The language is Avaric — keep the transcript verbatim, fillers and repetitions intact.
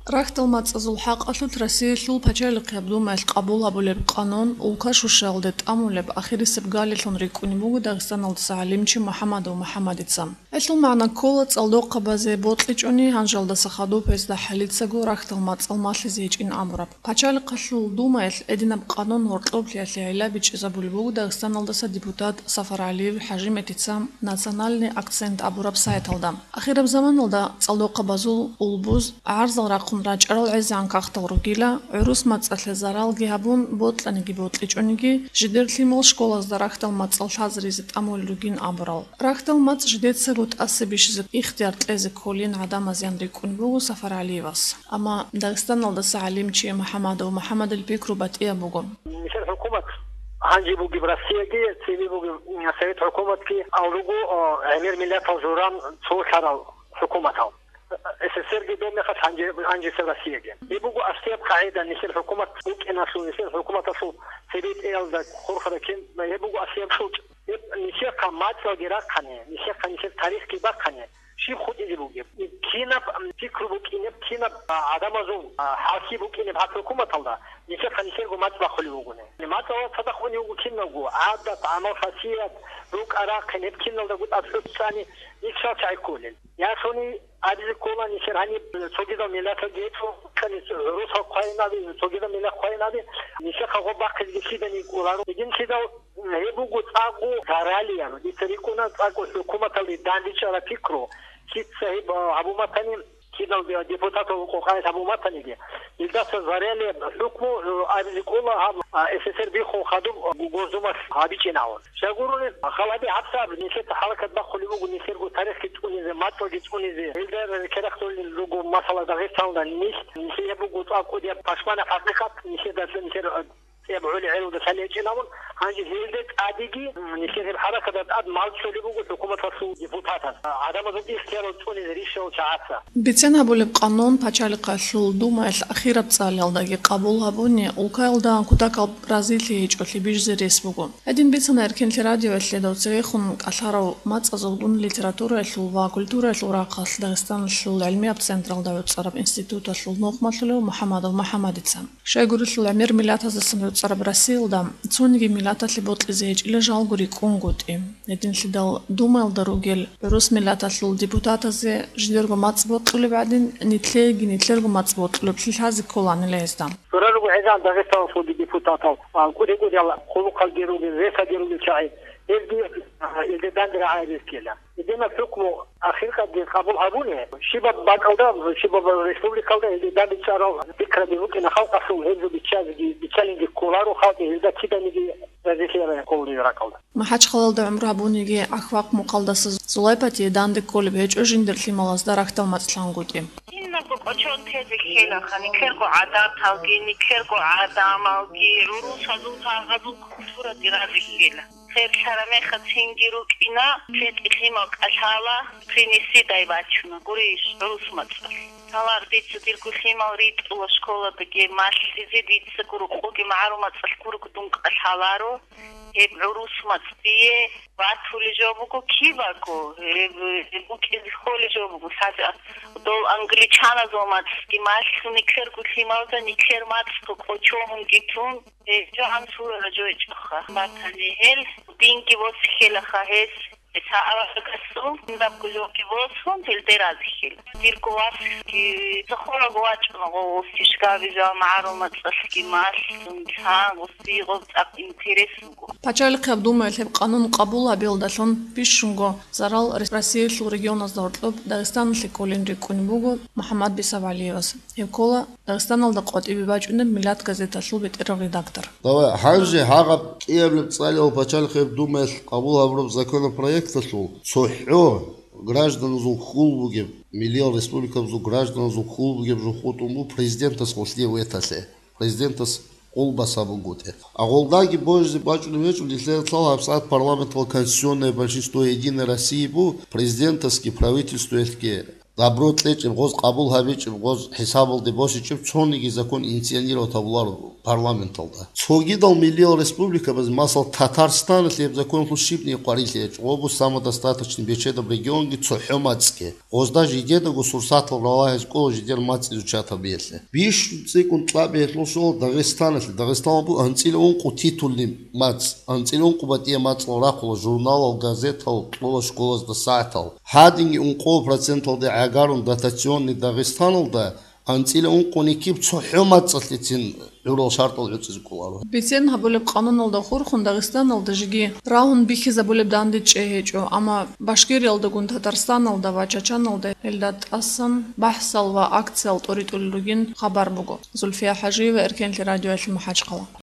Рахьдал мацӀазул хӀакъалъулъ Россиялъул пачалихъияб Думаялъ къабул гьабулеб къанун улка щущаялде тӀамулеб ахирисеб галилъун рикӀкӀунеб буго Дагъистаналдаса гӀалимчи МухӀамадов МухӀамадица. Гьелъул магӀна ккола цӀалдохъабазе бокьичӀони, гьанжалдаса хадуб гьезда хӀалицаго рахьдал мацӀал малъизе гьечӀин абураб. Пачалихъалъул Думаялъ гьединаб къанун гьоркьоблъиялъе гӀилла бичӀчӀизабулеб буго Дагъистаналдаса депутат Сафаргьалиев ХӀажиматица «Национальный акцент» абураб сайталда. Ахираб заманалда цӀалдохъабазул улбуз гӀарзал рахъун рачӀарал гӀезегӀан кагътал ругила, гӀурус мацӀалъе заралги гьабун, бокьаниги бокьичӀониги, жидер лъимал школазда рахьдал мацӀал лъазаризе тӀамулел ругин абурал. Рахьдал мацӀ жидецаго тӀаса бищизе ихтияр кьезе кколин гӀадамазеян рикӀкӀун буго Сафаргьалиевас. Амма Дагъистаналдаса гӀалимчи МухӀамадов МухӀамадил пикру батӀияб буго. Нилъер хӀукумат, гьанже бугеб Россияги, цебе бугеб Совет хӀукуматги, ал руго, о, гӀемер миллатал журан цо лъарал хӀукуматал. СССР-ги доб мехалъ гьанже, гьанжесеб Россияги. Гьеб буго аслияб къагӀида, нилъер хӀукумат букӀиналъул, нилъер хӀукуматалъул цебетӀеялда хурхараб кин, гьеб буго аслияб султӀ. Гьеб нилъехъа мацӀалги рахъани, нилъехъа нилъер тарихги бахъани, щиб хутӀизе бугеб? Кинаб, м, пикру букӀинеб, кинаб, а, гӀадамазул, а, хӀалхьи букӀинеб гьаб хӀукуматалда, нилъехъа нилъерго мацӀ бахъулев вугони. МацӀалда цадахъ унев вуго киналго, гӀадат, гӀамал-хасият, рукӀа-рахъин, гьеб киналдаго тӀад хӀуцӀцӀани, нилъ чал чагӀи кколел. Ясуни абизе ккола, нилъер гьаниб цогидал миллаталги гьечӀо, гӀурусал хъвайинаби, цогидал миллат хъвайинаби, нилъехъа гъоб бахъизеги лъидани кӀоларо. Гьединлъидал гьеб буго цӀакъго заралияб, дица рикӀкӀуна цӀакъго хӀукуматалде дандечӀараб пикру, лъица гьеб, а, гьабун батани, кидал депутатал къокъаялъ гьабун батаниги, илдаса заралияб хӀукму, а, абизе кӀола гьаб, а, СССР биххун хадуб, а, Госдумалъ гьабичӀин гьавун. Щай гурони, халаби гьабсагӀат нилъеца хӀаракат бахъулеб буго нилъерго тарихги цӀунизе, мацӀалги цӀунизе. Гьелда керахъулел руго, масала, Дагъистаналда нилъ, нилъее буго цӀакъ кӀудияб пашманаб хӀакъикъат, нилъеда нилъер, э, цӀебгӀули гӀелалда лъалечӀин гьавун. Гьанже гьелда тӀадеги, м, нилъер гьеб хӀаракаталда тӀад мал чӀолеб буго хӀукуматалъул депутатаз, гӀадамазул ихтиярал цӀунизе рищарал чагӀаца. Бицен гьабулеб къанун пачалихъалъул Думаялъ ахираб цӀалиялдаги къабул гьабуни, улкаялда кутакаб разилъи гьечӀолъи бижизе рес буго. Гьедин бицана Эркенлъи радиоялъе дов цевехун кӀалъарав мацӀазулгун литератураялъул ва культураялъул рахъалъ Дагъистаналъул гӀилмияб централда гӀуцӀараб институталъул нухмалъулев МухӀамадов МухӀамадица. Щайгурелъул гӀемер миллатаздасан гӀуцӀараб Россиялда цониги миллаталъе бокьизе гьечӀила жалго рикӀкӀунгутӀи. Гьединлъидал Думаялда ругел гӀурус миллаталъул депутатазе жидерго мацӀ бокьулеб гӀадин, нилъееги нилъерго мацӀ бокьулеблъи лъазе кколанила гьезда. Цора руго гӀезегӀан Дагъистаналъулги депутатал, а, кӀуди-кӀудиял хъулухъалги ругел, ресаги ругел чагӀи, гьезги, а, илде данде рагӀаяб ккела. Гьединаб хӀукму ахиркъадги къабул гьабуни, щибаб бакӀалда, щибаб республикалда гьезда дандечӀарал пикраби букӀина халкъалъул, гьезул биччазеги, биччалинги кколаро халкъ, гьезда киданиги разилъи кколареб ракӀалда. МахӀачхъалалда гӀумру гьабуниги, ГӀахвахъ мукъалдаса Зулайпатие данде кколеб гьечӀо жиндир лъималазда рахьдал мацӀ лъангутӀи. Кинабго кӀочон тезе ккелаха, нилъерго гӀадаталги, нилъерго гӀадамалги, гӀурусазул, гьагъазул культураги разе ккела. Херлъараб мехалъ цинги рукӀина, цинги лъимал кӀалъала, принеси дай бачуна, гурищ, гӀурус мацӀалъ. Гьалар дица дирго лъимал ритӀула школадаги малъизе, дица гуркъуги магӀарул мацӀалъ гурого дун кӀалъаларо. Гьеб гӀурус мацӀ дие батулеб жо буго кибаго, гьеб, гьеб букӀине кколеб жо буго, лъазе дол англичаназул мацӀги малъун, нилъерго лъималда нилъер мацӀго кӀочон гьунги тун, гьеб жо гӀамсулареб жо гьечӀоха. Батани гьел, динги босихьилаха гьес. Гьес гьаб аварагасул, дабго жоги босун, гьелде разихьила. Дирго васги цохолаго вачӀуна, гъо, гъосие щибаб жо магӀарул мацӀалъги малъун, гъосие гъоб цӀакъ интерес буго. Пачалихъияб Думаялъ гьеб къанун къабул гьабиялдалъун бищунго зарал Рес-, Россиялъул регионазда гьоркьоб Дагъистаналъе кколин рикӀкӀунеб буго МухӀаммад БицабгӀалиевас. Гьеб ккола Дагъистаналда къватӀибе бачӀунеб «Миллат» газеталъул бетӀерав редактор. Давай, гьанже гьагъаб кӀиабилеб цӀалиялъул пачалихъияб Думаялъ къабул гьабураб законопроекталъул цохӀо гражданазул хьул бугеб, миллиял республикабазул гражданазул хьул бугеб жо хутӀун буго президентас гъослъие веталъе, президентас къулбас гьабунгутӀи. Агъолдаги божизе бачӀунеб гьечӀо, нилъеда лъала гьабсагӀат парламенталъ конституционное большинство Единой России буго, президентасги правительствоялъги добро кьечӀеб, гъоз къабул гьабичӀеб, гъоз хӀисабалде босичӀеб цониги закон инициировать гьабуларо парламенталда. Цогидал миллиял республикабаз, масал, Татарстаналъ гьеб законалъул щибниги къварилъи гьечӀо, гъо буго самодостаточный бечедаб регионги цохӀо мацӀги. Гъозда жидедаго сурсатал ралагьизе кӀола жидер мацӀ изучать гьабиялъе. Бищун цӀикӀкӀун кьабигӀелъул щола Дагъистаналъе. Дагъистаналда буго анцӀила ункъо титульный мацӀ, анцӀила ункъо батӀияб мацӀал рахъула журналал, газетал, кьола школазда сагӀатал. Гьадинги ункъо проценталде гӀагарун дотационный Дагъистаналда анцӀила ункъони киб цохӀо мацӀалъецин гӀурал шартӀал гӀуцӀизе кӀоларо. Бицен гьабулеб къануналда хурхун Дагъистаналда жеги рагьун бихьизабулеб дандечӀей гьечӀо, амма Башкириялдагун Татарстаналда ва Чачаналда гьелда тӀасан бахӀсал ва акциял тӀоритӀулел ругин хабар буго. Зульфия ХӀажиева, Эркенлъи радиоялъ, МахӀачхъала.